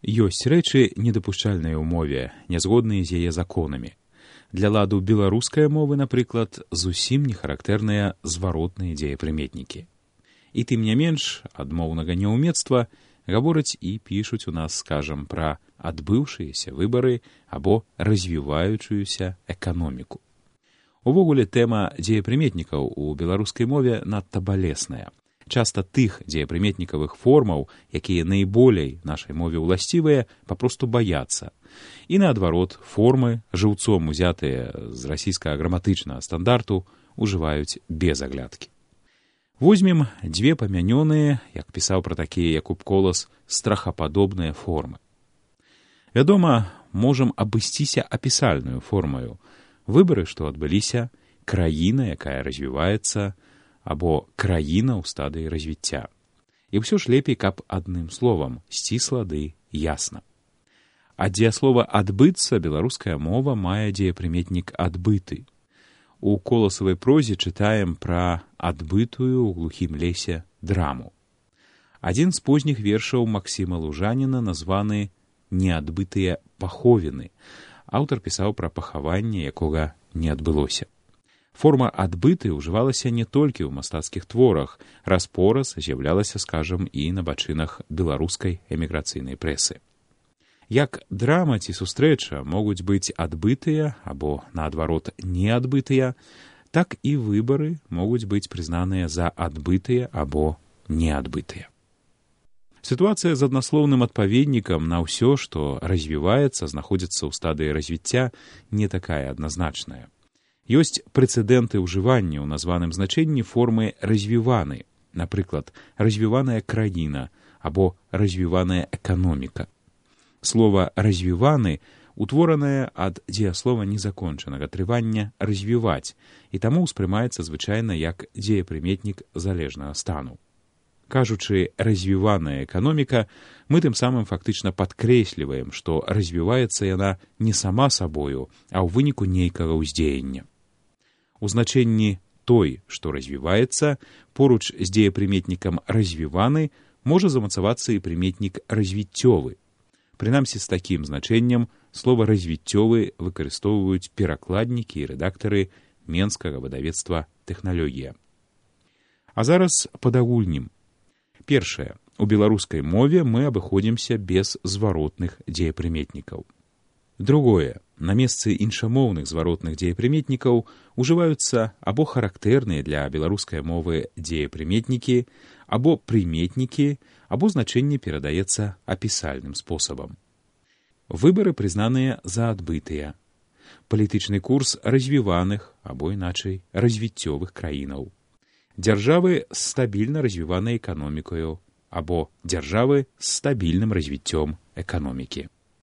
Ёсць рэчы недапушчальныя ў мове, нязгодныя з яе законамі. Для ладу беларускай мовы, напрыклад, зусім не характэрныя зваротныя дзеепрыметнікі. І тым не менш, адмоўнага няўмецтва гавораць і пішуць у нас, скажам, пра адбыўшыеся выбары або развіваючуюся эканоміку. Увогуле, тэма дзеепрыметнікаў у беларускай мове надта балесная. Часта тых дзеепрыметнікавых формаў, якія найболей нашай мове ўласцівыя, папросту баяцца. І наадварот, формы, жыўцом узятыя з расійскага граматычнага стандарту, ужываюць без аглядкі. Возьмем дзве памянёныя, як пісаў пра такія Якуб Колас, страхападобныя формы. Вядома, можам абысціся апісальную формаю. Выбары, што адбыліся, краіна, якая развіваецца, або краіна ў стадыі развіцця. І ўсё ж лепей, каб адным словам, сцісла ды ясна. Ад дзеяслова «адбыцца» беларуская мова мае дзеепрыметнік «адбыты». У коласавай прозе чытаем пра адбытую ў глухім лесе драму. Адзін з позніх вершаў Максіма Лужаніна названы «Неадбытыя паховіны». Аўтар пісаў пра пахаванне, якога не адбылося. Форма «адбыты» ўжывалася не толькі ў мастацкіх творах, раз-пораз з'яўлялася, скажам, і на бачынах беларускай эміграцыйнай прэсы. Як драма ці сустрэча могуць быць адбытыя або, наадварот, неадбытыя, так і выбары могуць быць прызнаныя за адбытыя або неадбытыя. Сітуацыя з аднаслоўным адпаведнікам на ўсё, што развіваецца, знаходзіцца ў стадыі развіцця, не такая адназначная. Ёсць прэцэдэнты ўжывання ў названым значэнні формы «развіваны», напрыклад, «развіваная краіна» або «развіваная эканоміка». Слова «развіваны» утворанае ад дзеяслова незакончанага трывання «развіваць» і таму ўспрымаецца звычайна як дзеепрыметнік залежнага стану. Кажучы «развіваная эканоміка», мы тым самым фактычна падкрэсліваем, што развіваецца яна не сама сабою, а ў выніку нейкага ўздзеяння. У значэнні «той, што развіваецца», поруч з дзеепрыметнікам «развіваны» можа замацавацца і прыметнік «развіццёвы». Прынамсі, з такім значэннем слова «развіццёвы» выкарыстоўваюць перакладнікі і рэдактары менскага выдавецтва «Тэхналогія». А зараз падагульнім. Першае. У беларускай мове мы абыходзімся без зваротных дзеепрыметнікаў. Другое. На месцы іншамоўных зваротных дзеепрыметнікаў ужываюцца або характэрныя для беларускай мовы дзеепрыметнікі, або прыметнікі, або значэнне перадаецца апісальным спосабам. Выбары прызнаныя за адбытыя. Палітычны курс развіваных, або іначай развіццёвых краінаў. Дзяржавы з стабільна развіванай эканомікаю, або дзяржавы з стабільным развіццём эканомікі.